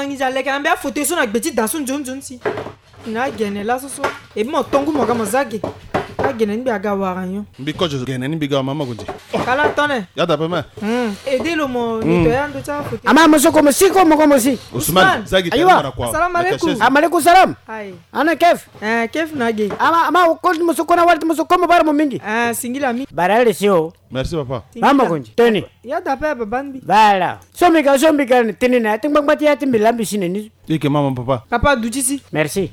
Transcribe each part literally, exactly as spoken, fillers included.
Ngi za leke na mbi afauteuil so na gbe ti da so nzoni nzoni si. Na gene laso so. E mbi mo tongu mo ga mo za ge. Agene ni mbi aga wara nyon. Mbi kozo gene ni mbi ga mama gonzi. Kala tone. Ya da pe me. Hmm. Aide lo mo nettoyer ando ti afauteuil. Ama mo so ko mo si ko mo ko mo si. Ousmane. Ousmane. Za gi. Ayiwa. Tene na kua. Salam alaikum. Alaikum salam. Aye. Ana kef. Eh, kef na ge. Ama ama ko mo so ko na wali mo so ko mo bara mo mingi. Ah, singila mi. Bara le si o. Merci papa. Mama gonzi. Teni. Ya da pe baba ni mbi. Voilà. So mbi ga so mbi ga ni teni na ya ti ngbangba ti ya ti mbi la mbi si na ni. Eke mama papa. Papa du ti si. Merci.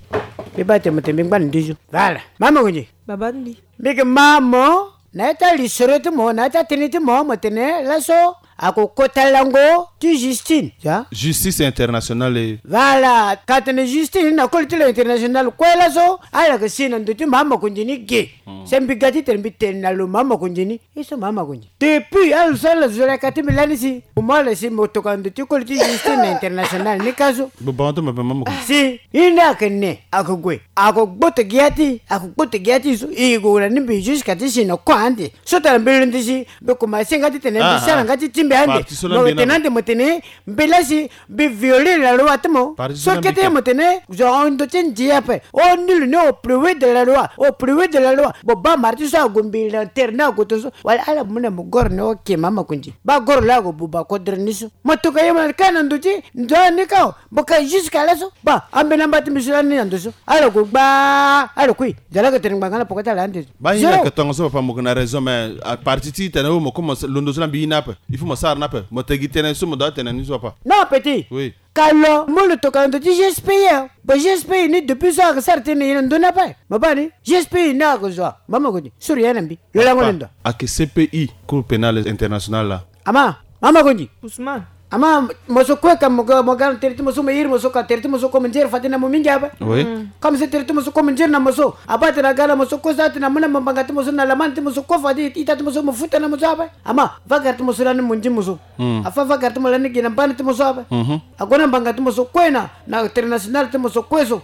Mbi baa tene mo tene mbi ngba na nduzu. Voilà. Mama gonzi. Baba ni mbi. Mbi ke ma mo na ya ti alisoro ti mo na ya ti atënë ti mo mo tene laso ako kota lango ti Justine. Ya. Justice internationale. Voilà, ka tene Justine na koli ti lo international kue laso ala ke si na ndo ti mama gonzi ni ge. Se mbi ga ti tene mbi tene na lo mama gonzi ni. Ye so mama gonzi. Depuis ala so ala zo laka ti mbi lani si. Mo ala si mo tokua ndo ti koli ti Justine na international ni ka so. Bo bango ti mo pe mama gonzi. Si. Ye ni ake ne ake gue. Ako gboto gi ya ti ako gboto gi ya ti so. E gue na ni mbi jusqu'à ti si na kua ande. So tara mbi londi si mbi kuma si nga ti tene mbi sara nga ti ti mbi ande. Mo tene ande mo tene mbi la si mbi violer la loi ti mo. So kete mo tene zo ahon ndo ti ndia ape. Oh nul n'est au plus haut de la loi, au plus haut de la loi. Bo baa mara ti so ague mbi na tere ni ague tongaso. Wala ala mu na mo goro ni oke mama gonzi. Baa goro laa ague buba kodro ni so. Mo tokua ye mo na ka na ndo ti ndo ni ka o. Mo ka jusqu'à laso. Baa ambeni amba ti mbi so lani na ndo so. Ala gue gbaa ala kui. Zala ke tene ngbanga na poko ti ala ande. Baa hinga ke tongaso papa mo ke na raison mais à partir ti tene o mo ko mo londo so na mbi ye ni ape. Il faut mo sara ni ape mo tegi tënë so mo doit tene ni so papa. Non petit. Oui. Ka lo mo lo tokua na ndo ti G S P I. Bon G S P I ni depuis so ake sara tënë ye na ndo ni ape. Mo baa ni G S P I ni ake zo a mama gonzi. Suru ye na mbi lo lango ni ndo. Ake C P I, Cour pénale internationale la. Ama mama gonzi. Ousmane. Ama mo so kue ka mo ga mo ga na tere ti mo so mo iri mo so ka tere ti mo so ko mo nzere fade na mo mingi ape. Oui. Comme si tere ti mo so ko mo nzere na mo so abaa tene aga na mo so kue so atene amu na mo mbanga ti mo so na lamani ti mo so kue fade ita ti mo so mo futa na mo so ape. Ama vagara ti mo so lani mo ndi mo so. Afa vagara ti mo lani gi na mbani ti mo so ape. Ague na mbanga ti mo so kue na na international ti mo so kue so.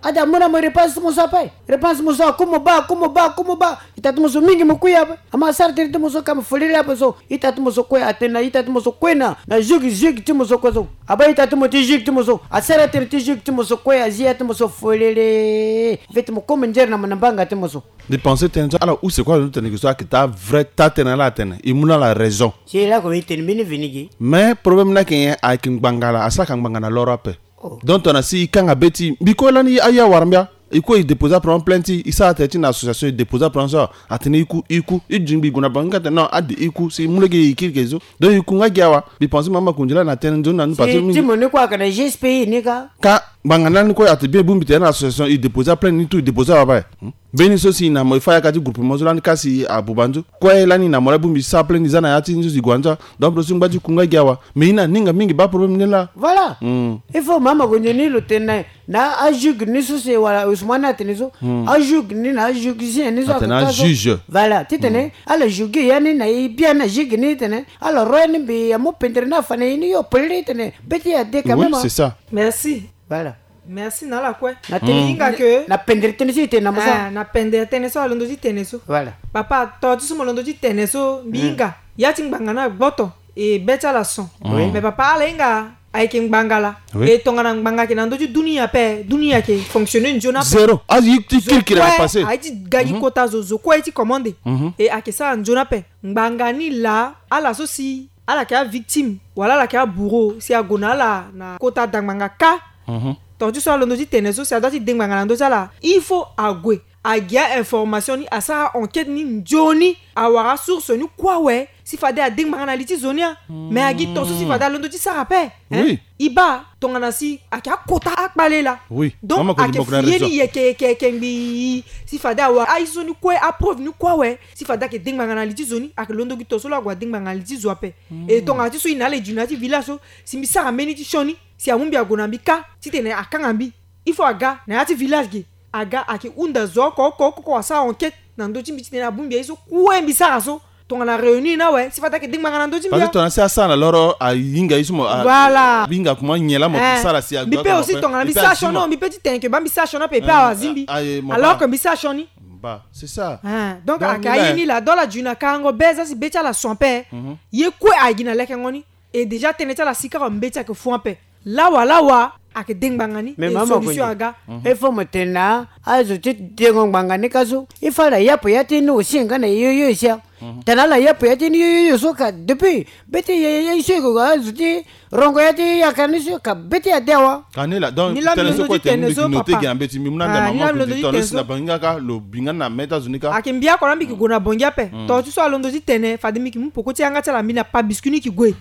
Ade amu na mo repanse ti mo so ape. Repanse ti mo so aku mo baa aku mo baa aku mo baa. Ita ti mo so mingi mo kui ape. Ama asara tënë ti mo so ka mo folele ape so. Ita ti mo so kue atene na ita ti mo so kue na na juge juge ti mo so kue so. Abaa ita ti mo ti juge ti mo so asara tënë ti juge ti mo so kue azi ya ti mo so folele. Feti mo komo nzere na mo na mbanga ti mo so. Mbi pense tënë so ala use kue alondo tene ke so ake taa vrai taa tënë ala atene e mu na ala raison. Si lako mbi tene mbeni vini gi. Mais problème ni ayeke nyen? Ayeke ngbanga laa asara ka ngbanga na loro ape. Donc tongana si e kanga be ti mbi kue lani aye awara mbi a. E kue e déposer apre plainte ti e sara tene ti na association e déposer apre so. Atene e ku e ku e dingbi e gue na banque atene non ade e ku si e mu lege e kiri ke so. Donc e ku nga gi awa. Mbi pense mama kundila na tënë nzoni na ni parce que ti mo ni kue ayeke na G S P I ni ka. Ka ngbanga ni lani kue ate bien e bongbi tene na association e déposer plainte ni tout e déposer awa ape. Mbeni so si na mo e fa yaka ti groupement so lani ka si abuba nzo kue lani na mo la e bongbi sara plainte ni za na ya ti nzo si gue anza. Donc lo si ngba ti ku nga gi awa. Mais e na ninga mingi baa problème ni laa. Voilà. Il faut mama gonzo ni lo tene na na ajuge ni so si wala Ousmane atene so. Ajuge ni na ajugien ni so atene ajuge. Voilà titene ala juge ya ni na e bien na juge ni titene ala ro ya ni mbi amu pendere ni afa na e ni yo pelere titene be ti e ade quand même. Oui c'est ça. Merci. Voilà. Merci na ala kue. Na tene hinga ke na pendere tënë so e tene na mo so. Ah, na pendere tënë so alondo ti tene so. Voilà. Papa to ti so mo londo ti tene so mbi hinga ya ti ngbanga ni agboto. E be ti ala son. Mais papa ala hinga ayeke ngbanga laa. E tongana ngbanga ayeke na ndö ti dunia ape dunia ayeke fonctionner nzoni ape. Zéro azo ye ti kirikiri ayeke passe. Aye ti ga gi kota zo zo kue aye ti commande. E ayeke sara nzoni ape ngbanga ni laa ala so si ala yeke avictime wala ala yeke abourreau si ague na ala na kota da ngbanga kâ. Tonga ti so alondo ti tene so si adoit ti de ngbanga na ndö ti ala il faut ague. Agia information ni asara enquête ni nzoni awara asource ni kue awe si fade ade ngbanga na li ti zo ni a. Mais agi tonso si fade alondo ti sara ape. Oui. E baa tongana si ayeke akota akpale laa. Oui. Donc ayeke fie ni yeke yeke yeke ngbii si fade awara aye so ni kue apreuve ni kue awe si fade ayeke de ngbanga na li ti zo ni ayeke londo gi tonso lo ague ade ngbanga na li ti zo ape. E tongana ti so e na ala e dju na ya ti village so si mbi sara mbeni ti sioni si amu mbi ague na mbi kâ titene akanga mbi. Il faut aga na ya ti village ge aga ayeke hunda zo oko oko oko asara enquête na ndö ti mbi titene abongbi aye so kue mbi sara so. Tongana réunir ni awe si fade ayeke de ngbanga na ndö ti mbi. Parce que tongana si asara na loro ahinga ye so mo voilà ahinga kuma nyen laa mo sara si ague mbi pe aussi tongana mbi sara sioni mbi pe ti tene ke baa mbi sara sioni ape e pe awazi mbi. Alors que mbi sara sioni. Bah c'est ça. Donc ayeke aye ni laa do ala dju na karango be za si be ti ala son ape. Ye kue ayeke gi na lekengo ni. E déjà tënë ti ala si kaka mbeti ayeke fou ape. Lawa lawa ayeke de ngbanga ni. Mais mama solution aga. Il faut mo tene na azo ti dengo ngbanga ni ka so. Il faut ala yapo ya ti ni aussi nga na yo yo isia. Tene ala yapo ya ti ni yo yo so ka depuis be ti ye ye so iko azo ti rongo ya ti yakara ni so ka be ti ade awa. Ka ni la donc ni la tene so kue tene so papa. Note gi na mbeti mbi mu na nda mama kodi tene so na bangi nga ka lo bi nga na meta zo ni ka. Ayeke mbi oko na mbi yeke gue na bongi ape. Tongana ti so alondo ti tene fade mbi yeke mu peko ti yanga ti ala mbi na pa biscuit ni yeke gue.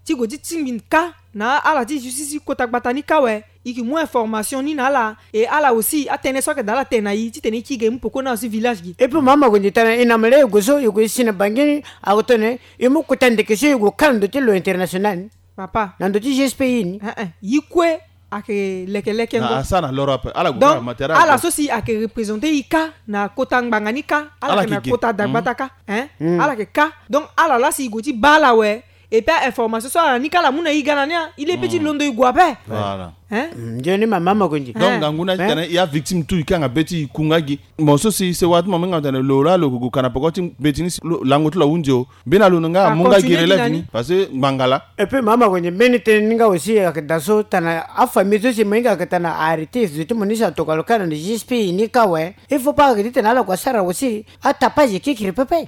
Ti gue ti tingbi ka na ala ti justice ti kota gbata ni ka awe. E yeke mu information ni na ala. E ala aussi atënë so ayeke daa ala tene na e titene e kiri ge e mu peko na ala si village gi. Et puis mama gue nze tara e na mele e gue so e gue e si na bangi ni. Ague tene e mu kota ndeke so e gue ka na ndo ti lo international ni. Papa na ndo ti G S P I ni. Yi kue ayeke lekeleke ngo. Asara na loro ape ala gue donc ala so si ayeke représenter e ka na kota ngbanga ni ka ala yeke na kota dagbata ka. Ala yeke ka donc ala laa si e gue ti baa ala awe. Et puis a information so ala ni ka ala mu na e ga na ni a e le pe ti londo e gue ape. Voilà. Nzoni mama mo gue nze. Donc ngangu na ti tene e avictime tout e kanga be ti e kunga gi. Mo so si sewa ti mo minga tene lo laa lo gue gue ka na peko ti mbeti ni si lango ti lo ahunzi o. Mbeni alondo nga amu nga gi relève ni parce que ngbanga laa. Et puis mama mo gue nze mbeni tënë ni nga aussi ayeke daa so tana afamille so si mo hinga ayeke tana arrêté zo ti mo ni si atokua lo ka na G S P I ni ka awe. Il faut pas ayeke titene ala gue asara aussi atapage kekiri pepe.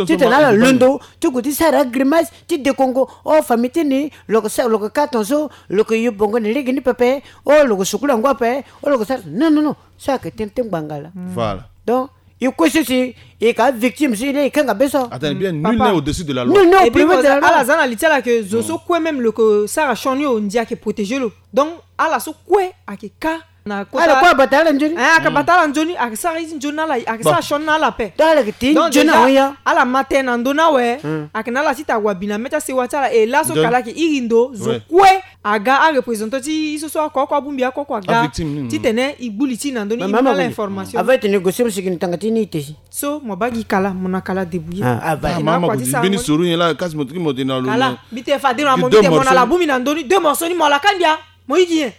Titene ala londo ti gue ti sara agrimace ti dekongo o famille ti ni lo yeke sara lo yeke ka tongaso lo yeke yo bongo na lege ni pepe. O lo yeke sukula ngo ape. O lo yeke sara non non non. So ayeke tënë ti ngbanga laa. Voilà. Donc e kue so si e yeke avictime so e laa e kanga be so. Atene bien nul n'est au-dessus de la loi. Nul n'est au-dessus de la loi. Ala za na li ti ala ke zo so kue même lo yeke sara sioni o ndia ayeke protéger lo. Donc ala so kue ayeke ka na kota ala kue abata ala nzoni. Ayeke bata ala nzoni ayeke sara ye ti nzoni na ala ayeke sara sioni na ala ape. Donc ala yeke ti nzoni na ala ya. Ala ma tënë na ndö ni awe. Ayeke na ala ti ta wabi na mê ti asewa ti ala e laso ka ala yeke iri ndo zo kue. Aga areprésentant ti e so so ako oko abongbi ako oko aga titene e gbu li ti e na ndö ni e mu na ala information. Avant tene e gue so mo sigi na tanga ti ni e te si. So mo baa gi kala mo na kala débrouiller. Mama ko ti mbeni soro nyen laa kasi mo tiki mo tene na lo kala mbi tene fade na mo mbi tene mo na ala bongbi na ndö ni deux morceaux ni mo ala kandi a. Mo yigi nyen.